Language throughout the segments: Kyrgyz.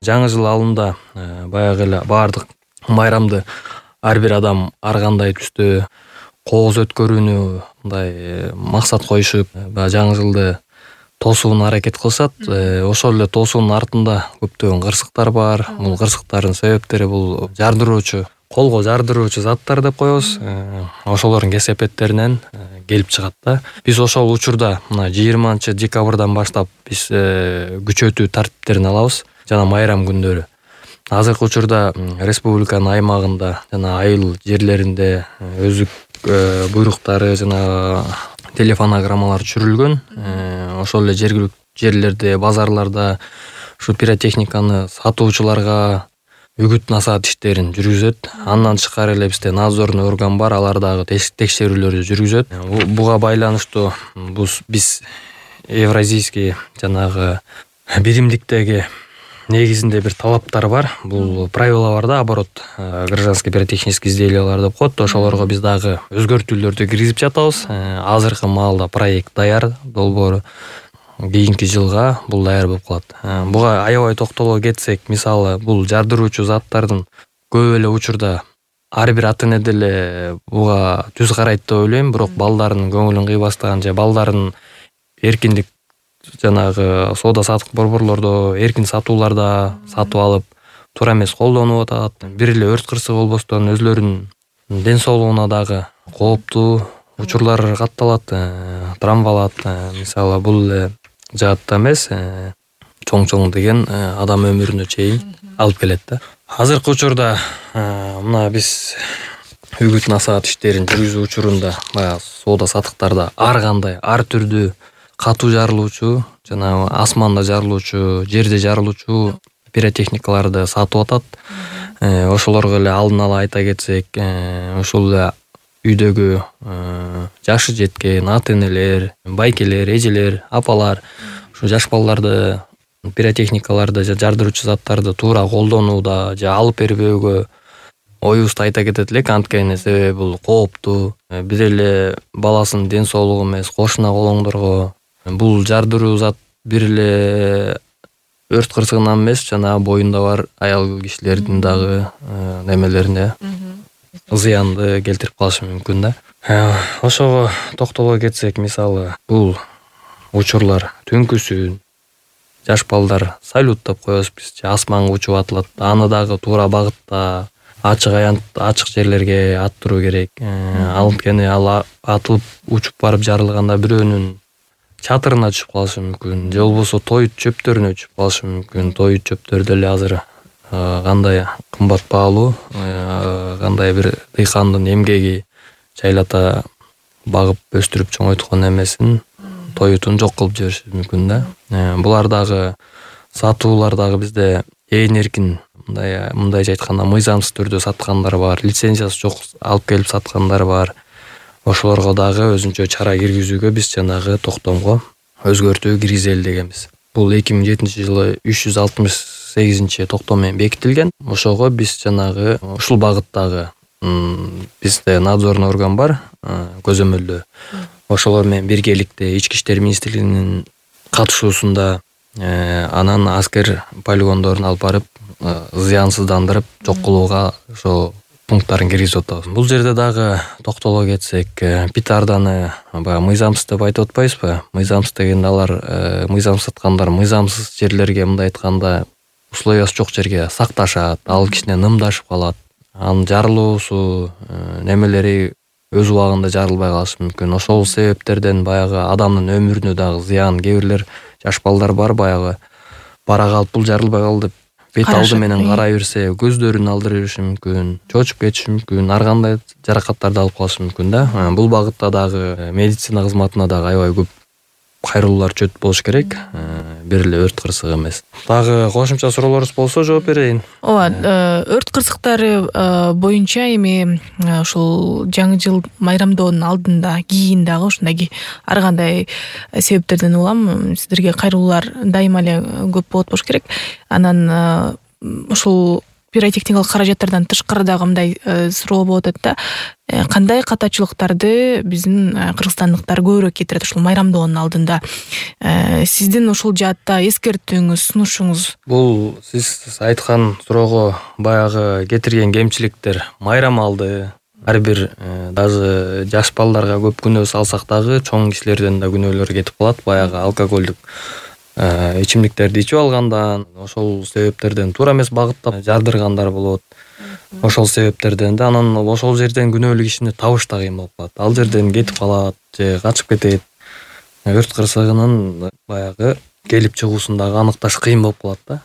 Жаңы жыл алдында баягы эле баардык майрамды ар бир адам ар кандай түстө кооз өткөрүүнү мындай максат коюшуп, баягы жаңы жылды тосууна аракет кылышат. Ошол эле тосуунун артында көптөгөн кырсыктар бар. Бул кырсыктардын себептери бул жардыруучу, колго жардыруучу заттар деп коебуз. Ошолордун кесепеттеринен келип чыгат да. Биз ошол учурда мына 20-декабрдан баштап биз күчөтүү тартиптерин алабыз жана майрам күндөрү. Азыркы учурда республиканын аймагында жана айыл жерлеринде өздүк буйруктары жана телефонограммалар түшүрүлгөн. Ошол эле жергиликтүү жерлерде, базарларда ушу пиротехниканы сатуучуларга үгүт насаат иштерин жүргүзөт. Андан тышкары эле бизде надзорный орган бар, алар дагы текшерүүлөрдү жүргүзөт. Буга байланыштуу биз евразийский жанагы биримдиктеги негизинде бир талаптар бар. Бул правила бар да, оборот гражданский пиротехнический изделиялар деп коет. Ошолорго биз дагы өзгөртүүлөрдү киргизип жатабыз. Азыркы маалда проект даяр, долбоору. Кийинки жылга бул даяр болуп калат. Буга аябай токтоло кетсек, мисалы, бул жардыруучу заттардын көп эле учурда ар бир ата эне деле буга түз карайт деп ойлойм. Бирок балдардын көңүлүн кыйбастаган же балдардын эркиндик жанагы соода саттык борборлордо эркин сатууларда сатып алып, туура эмес колдонуп атат. Бир эле өрт кырсыгы болбостон өзлөрүнүн ден соолугуна дагы кооптуу учурлар катталат, травмалат. Мисалы, бул эле жаатта эмес, чоң деген адам өмүрүнө чейин алып келет да. Азыркы учурда мына биз үгүт насаат иштерин жүргүзүү учурунда баягы соода саттыктарда ар кандай, ар түрдүү катуу жарылуучу жана асманда жарылуучу, жерде жарылуучу пиротехникаларды сатып атат. Ошолорго эле алдын ала айта кетсек, ошол эле үйдөгү жашы жеткен ата энелер, байкелер, эжелер, апалар ушу жаш балдарды пиротехникаларды же жардыруучу заттарды туура колдонууда же алып бербөөгө оюбузду айта кетет элек. Анткени себеби бул кооптуу. Бир эле баласынын ден соолугу эмес, кошуна колоңдорго бул жардыруу зат бир эле өрт кырсыгынан эмес, жана боюнда бар аял кишилердин дагы немелерине зыянды келтирип калышы мүмкүн да. Ошого токтоло кетсек, мисалы, бул учурлар түнкүсүн жаш балдар салют деп коебуз биз, асманга учуп атылат. Аны дагы туура багытта ачык жерлерге аттыруу керек. Анткени ал атылып учуп барып жарылганда бирөөнүн чатырына түшүп калышы мүмкүн, же болбосо той чөптөрүнө түшүп калышы мүмкүн. Той чөптөр деле азыр кандай кымбат баалуу, кандай бир дыйкандын эмгеги жайлата багып өстүрүп чоңойткон эмесин тоютун жок кылып жибериши мүмкүн да. Булар дагы сатуулар дагы бизде ээн эркин, мындайча айтканда мыйзамсыз түрдө саткандар бар, лицензиясы жок алып келип саткандар бар. Ошолорго дагы өзүнчө чара киргизүүгө биз жанагы токтомго өзгөртүү киргизели дегенбиз. Бул 2007-жылы 368 токтом менен бекитилген. Ошого биз жанагы ушул багыттагы бизде надзорный орган бар, көзөмөлдөө. Ошолор менен биргеликте Ички иштер министрлигинин катышуусунда анан аскер полигондорун алып барып зыянсыздандырып жок кылууга ошо пункттарын киргизип атабыз. Бул жерде дагы токтоло кетсек, петарданы баягы мыйзамсыз деп айтып атпайбызбы? Мыйзамсыз дегенде алар мыйзамсыз саткандар мыйзамсыз жерлерге, мындай айтканда, условиясы жок жерге сакташат, ал кичине нымдашып калат. Анын жарылуусу немелери өз убагында жарылбай калышы мүмкүн. Ошол себептерден баягы адамдын өмүрүнө дагы зыян. Кээ бирлер жаш балдар бар, баягы бара калып бул жарылбай калды деп бет алды менен карай берсе, көздөрүн алдыра бериши мүмкүн, чочуп кетиши мүмкүн, ар кандай жаракаттарды алып калышы мүмкүн да. Бул багытта дагы медицина кызматына дагы аябай көп кайрылуулар чөт болуш керек, бир эле өрт кырсыгы эмес. Дагы кошумча суроолорубуз болсо жооп берейин. Ооба, өрт кырсыктары боюнча эми ушул жаңы жыл майрамдоонун алдында, кийин дагы ушундай ар кандай себептерден улам сиздерге кайрылуулар дайыма эле көп болот болуш керек. Анан ушул пиротехникалык каражаттардан тышкары дагы мындай суроо болуп атат да. Кандай катачылыктарды биздин кыргызстандыктар көбүрөөк кетирет ушул майрамдоонун алдында? Сиздин ушул жаатта эскертүүңүз, сунушуңуз? Бул сиз айткан суроого баягы кетирген кемчиликтер майрам алды. Ар бир даже жаш балдарга көп күнөө салсак дагы чоң кишилерден да күнөөлөр кетип калат. Баягы алкоголдук ичимдиктерди ичип алгандан, ошол себептерден туура эмес багыттап жардыргандар болот. Ошол себептерден да анан ошол жерден күнөөлүү кишини табыш да кыйын болуп калат. Ал жерден кетип калат же качып кетет. Өрт кырсыгынын баягы келип чыгуусун дагы аныкташ кыйын болуп калат да.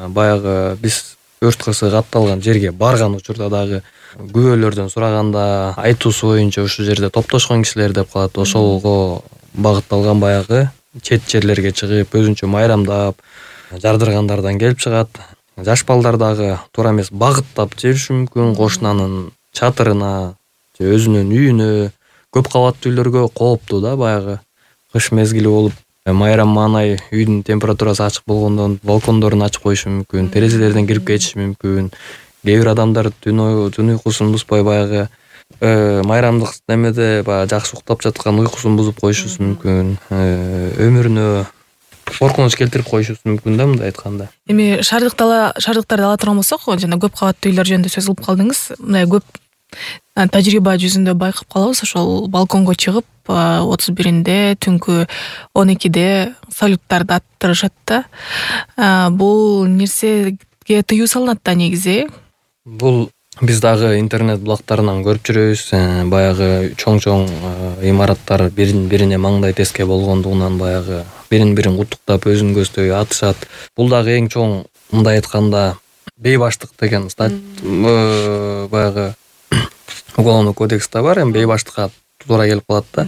Баягы биз өрт кырсыгы катталган жерге барган учурда дагы күбөлөрдөн сураганда айтуусу боюнча ушул жерде топтошкон кишилер деп калат. Ошолго багытталган баягы чет жерлерге чыгып, өзүнчө майрамдап жардыргандардан келип чыгат. Жаш балдар дагы туура эмес багыттап жибериши мүмкүн, кошунанын чатырына же өзүнүн үйүнө, көп кабаттуу үйлөргө кооптуу да баягы кыш мезгили болуп, майрам маанай үйдүн температурасы ачык болгондон балкондорун ачып коюшу мүмкүн, терезелерден кирип кетиши мүмкүн. Кээ бир адамдар түн уйкусун бузбай баягы майрамдык немеде баягы жакшы уктап жаткан уйкусун бузуп коюшусу мүмкүн. Өмүрүнө коркунуч келтирип коюшусу мүмкүн да, мындай айтканда. Эми шаардыктарды ала турган болсок, жана көп кабаттуу үйлөр жөнүндө сөз кылып калдыңыз. Мындай көп тажрыйба жүзүндө байкап калабыз. Ошол балконго чыгып 31-инде түнкү 12-де салюттарды аттырышат да. Бул нерсеге тыюу салынат да негизи. Бул биз дагы интернет блогтарынан көрүп жүрөбүз. Баягы чоң имараттар бирине маңдай теске болгондугунан баягы бирин куттуктап өзүн көздөй атышат. Бул дагы эң чоң, мындай айтканда, бейбаштык деген баягы уголовный кодексте бар, эми бейбаштыкка туура келип калат да.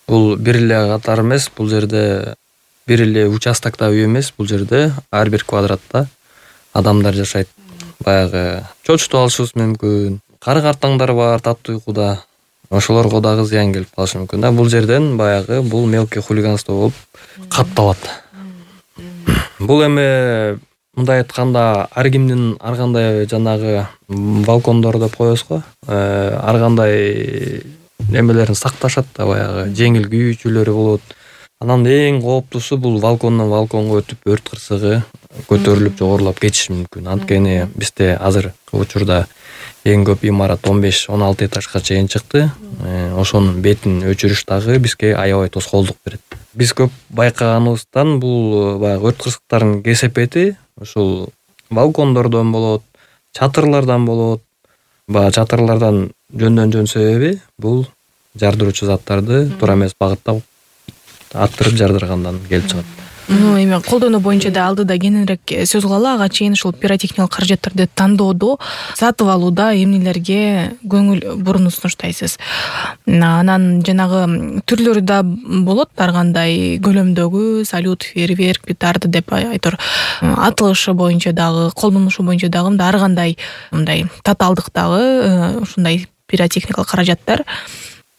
Бул бир эле катар эмес, бул жерде бир эле участокто үй эмес, бул жерде ар бир квадратта адамдар жашайт. Баягы чочутуп алышыбыз мүмкүн. Кары картаңдар бар таттуу уйкуда. Ошолорго дагы зыян келип калышы мүмкүн да. Бул жерден баягы бул мелкий хулиганство болуп катталат. Бул эми мындай айтканда ар кимдин ар кандай жанагы балкондор деп коебуз го. Ар кандай немелерин сакташат да, баягы жеңил күйүүчүлөрү болот. Анан эң кооптуусу бул балкондон балконго өтүп өрт кырсыгы көтөрүлүп жогорулап кетиши мүмкүн. Анткени бизде азыркы учурда эң көп имарат 15-16 этажга чейин чыкты. Ошонун бетин өчүрүш дагы бизге аябай тоскоолдук берет. Биз көп байкаганыбыздан бул баягы өрт кырсыктардын кесепети ушул балкондордон болот, чатырлардан болот. Баягы чатырлардан жөндөн себеби бул жардыруучу заттарды туура эмес багыттап аттырып жардыргандан келип чыгат. Эми колдонуу боюнча да алдыда кененирээк сөз кылалы. Ага чейин ушул пиротехникалык каражаттарды тандоодо, сатып алууда эмнелерге көңүл буруну сунуштайсыз? Анан жанагы түрлөрү да болот, ар кандай көлөмдөгү, салют, фейерверк, петарда деп айтор. Атылышы боюнча дагы, колдонушу боюнча дагы ар кандай мындай татаалдыктагы ушундай пиротехникалык каражаттар.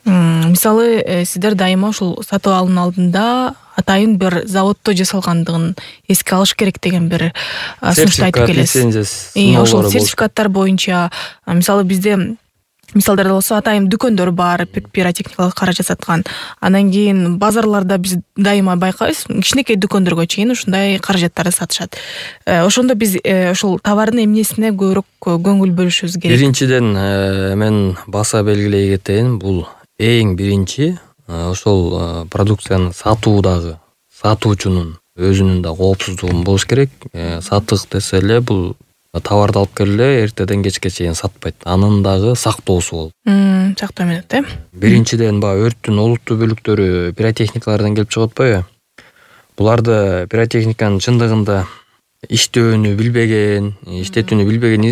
Мисалы, сиздер дайыма ушул сатып алуунун алдында атайын бир заводдо жасалгандыгын эске алыш керек деген бир сунушту айтып келесиз. Ошол сертификаттар боюнча, мисалы бизде мисалдарда болсо атайын дүкөндөр бар, пиротехникалык каражат саткан. Анан кийин базарларда биз дайыма байкайбыз, кичинекей дүкөндөргө чейин ушундай каражаттарды сатышат. Ошондо биз ушул товардын эмнесине көбүрөөк көңүл бөлүшүбүз керек? Биринчиден мен баса белгилей кетейин, бул эң биринчи ошол продукцияны сатуудагы сатуучунун өзүнүн да коопсуздугу болуш керек. Сатык десе эле бул товарды алып келе эртеден кечке чейин сатпайт. Анын дагы сактоосу болот. Сактоо менен Биринчиден өрттүн олуттуу бөлүктөрү пиротехникалардан келип чыгып атпайбы? Буларды пиротехниканын чындыгында иштөөнү билбеген,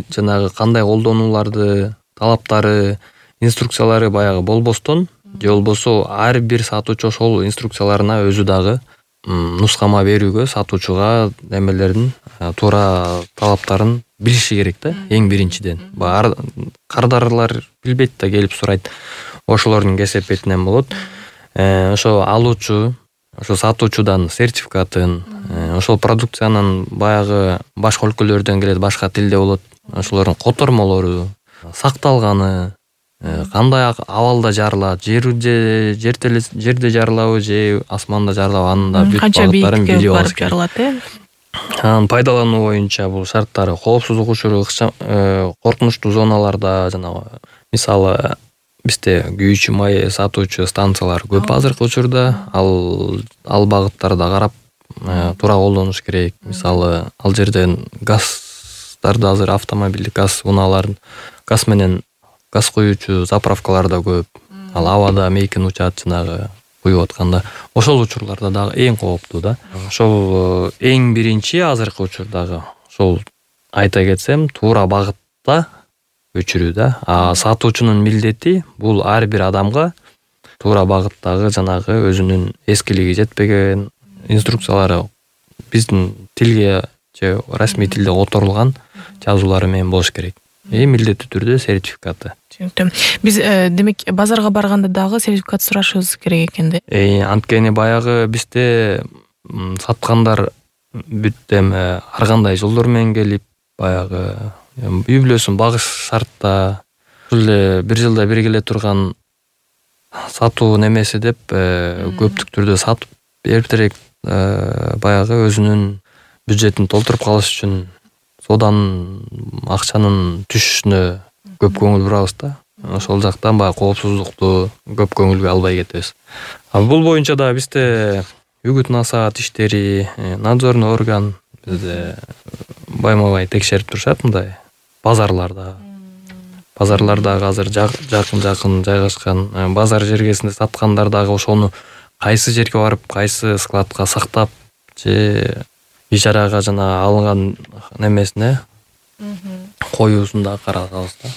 жанагы кандай колдонуларды, талаптары, инструкциялары баягы болбостон, же болбосо ар бир сатуучу ошол инструкцияларына өзү дагы нускама берүүгө сатуучуга немелерин туура талаптарын билиши керек да, эң биринчиден. Кардарлар билбейт да, келип сурайт. Ошолордун кесепетинен болот. Ошо алуучу, ошо сатуучудан сертификатын, ошол продукциянын баягы башка өлкөлөрдөн келет, башка тилде болот. ошолордун котормолору сакталганы, кандай абалда жарылат, жерде жарылабы же асманда жарылабы, анын да бүт канча багыттарын бийикке билип алыш барып керек. жарылат, Анын пайдалануу боюнча бул шарттары коопсуздук учуру, коркунучтуу зоналарда, жанагы мисалы бизде күйүүчү май сатуучу станциялар көп азыркы учурда, ал багыттарда карап туура колдонуш керек. Мисалы ал жерден газдарды, азыр автомобилдик газ унааларын, газ менен газ куюучу заправкалар да көп. Ал абада мейкин учат жанагы куюп атканда. Ошол учурларда дагы эң кооптуу да. Ошол эң биринчи азыркы учурдагы ошол айта кетсем, туура багытта өчүрүү да. Сатуучунун милдети бул ар бир адамга туура багыттагы жанагы өзүнүн эскилиги жетпеген инструкциялары биздин тилге же расмий тилде которулган жазуулары менен болуш керек. Милдеттүү түрдө сертификаты. Түшүнүктүү. Биз демек базарга барганда дагы сертификат сурашыбыз керек экен да. Анткени баягы бизде саткандар бүт эми ар кандай жолдор менен келип, баягы үй бүлөсүн багыш шартта, ушул эле бир жылда бир келе турган сатуу немеси деп көптүк түрдө сатып берип баягы өзүнүн бюджетин толтуруп калыш үчүн сооданын акчанын түшүшүнө көп көңүл бурабыз да. Ошол жактан баягы коопсуздукту көп көңүлгө албай кетебиз. Бул боюнча да бизде үгүт насаат иштери, надзорный орган бизде байма-бай текшерип турушат мындай базарларда. Базарлардагы азыр жакын жайгашкан базар жергесинде саткандар дагы ошону кайсы жерге барып, кайсы складка сактап же ижарага жана алынган немесине коюусун да карап атабыз да.